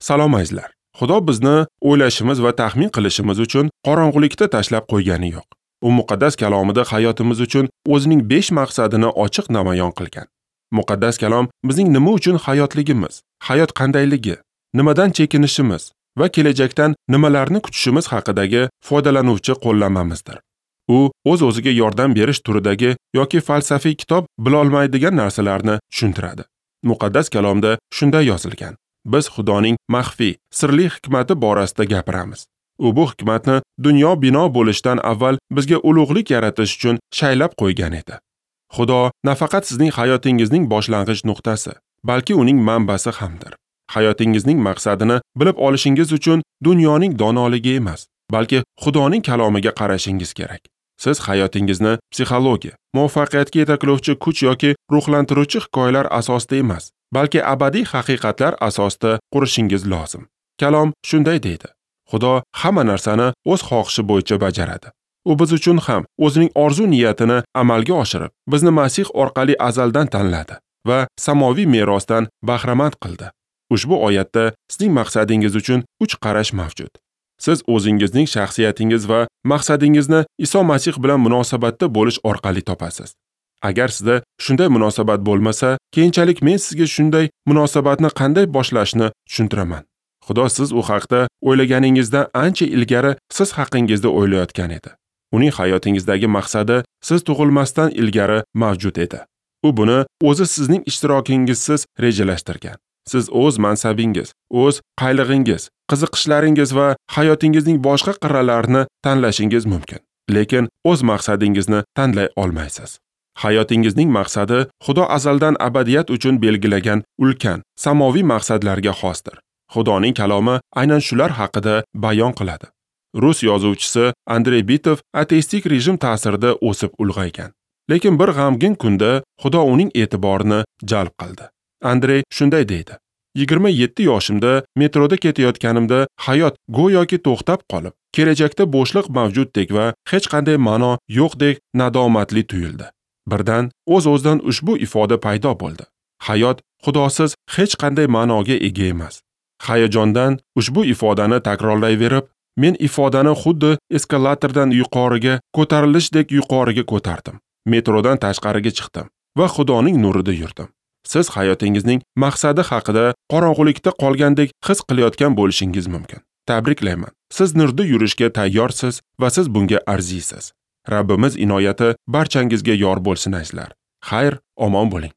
Salom azizlar. Xudo bizni o'ylashimiz va taxmin qilishimiz uchun qorong'ulikda tashlab qo'ygani yo'q. U muqaddas kalomida hayotimiz uchun o'zining 5 maqsadini ochiq namoyon qilgan. Muqaddas kalom bizning nima uchun hayotligimiz, hayot qandayligi, nimadan chekinishimiz va kelajakdan nimalarni kutishimiz haqidagi foydalanuvchi qo'llanmamizdir. U o'z-o'ziga yordam berish turidagi yoki falsafiy kitob bilolmaydigan narsalarni tushuntiradi. Muqaddas kalomda shunday yozilgan: biz Xudoning maxfiy, sirli hikmati borasida gapiramiz. U bu hikmatni dunyo bino bo'lishidan avval bizga ulug'lik yaratish uchun shaylab qo'ygan edi. Xudo nafaqat sizning hayotingizning boshlang'ich nuqtasi, balki uning manbasi hamdir. Hayotingizning maqsadini bilib olishingiz uchun dunyoning donoligi emas, balki Xudoning kalomiga qarashingiz kerak. Siz hayotingizni psixologiya, muvaffaqiyatga yetaklovchi kuch yoki ruhlantiruvchi hikoyalar asosida emas, balki abadiy haqiqatlar asosida qurishingiz lozim. Kalom shunday deydi: Xudo hamma narsani o'z xohishi bo'yicha bajaradi. U biz uchun ham o'zining orzu niyatini amalga oshirib, bizni Masih orqali azaldan tanladi va samoviy merosdan bahramand qildi. Ushbu oyatda sizning maqsadingiz uchun 3 qarash mavjud. Siz o'zingizning shaxsiyatingiz va maqsadingizni Iso Masih bilan munosabatda bo'lish orqali topasiz. Agar sizda shunday munosabat bo'lmasa, keyinchalik men sizga shunday munosabatni qanday boshlashni tushuntiraman. Xudo siz u haqda o'ylaganingizdan ancha ilgari siz haqingizda o'ylayotgan edi. Uning hayotingizdagi maqsadi siz tug'ilmasdan ilgari mavjud edi. U buni o'zi sizning ishtirokingizsiz rejalashtirgan. Siz o'z mansabingiz, o'z qaylig'ingiz, qiziqishlaringiz va hayotingizning boshqa qirralarini tanlashingiz mumkin, lekin o'z maqsadingizni tanlay olmaysiz. Hayotingizning maqsadi Xudo azaldan abadiyat uchun belgilagan ulkan, samoviy maqsadlarga xosdir. Xudoning kalomi aynan shular haqida bayon qiladi. Rus yozuvchisi Andrey Bitov ateistik rejim ta'sirida o'sib ulg'aygan. Lekin bir g'amgin kunda Xudo uning e'tiborini jalb qildi. Andrey shunday deydi: 27 yoshimda metroda ketayotganimda hayot go'yoki to'xtab qolib, kelajakda bo'shliq mavjuddek va hech qanday ma'no yo'qdek nadomatli tuyuldi. Birdan o'z-o'zidan ushbu ifoda paydo bo'ldi. Hayot Xudosiz hech qanday ma'noga ega emas. Hayajondan ushbu ifodani takrorlayverib, men ifodani xuddi eskalatordan yuqoriga ko'tarilishdek yuqoriga ko'tardim. Metrodan tashqariga chiqdim va Xudoning nurida yurdim. Siz hayotingizning maqsadi haqida qorong'ulikda qolgandek his qilayotgan bo'lishingiz mumkin. Tabriklayman. Siz nurda yurishga tayyorsiz va siz bunga arziysiz. Rabbimiz inoyati barchangizga yor bo'lsin azizlar. Xayr, omon bo'ling.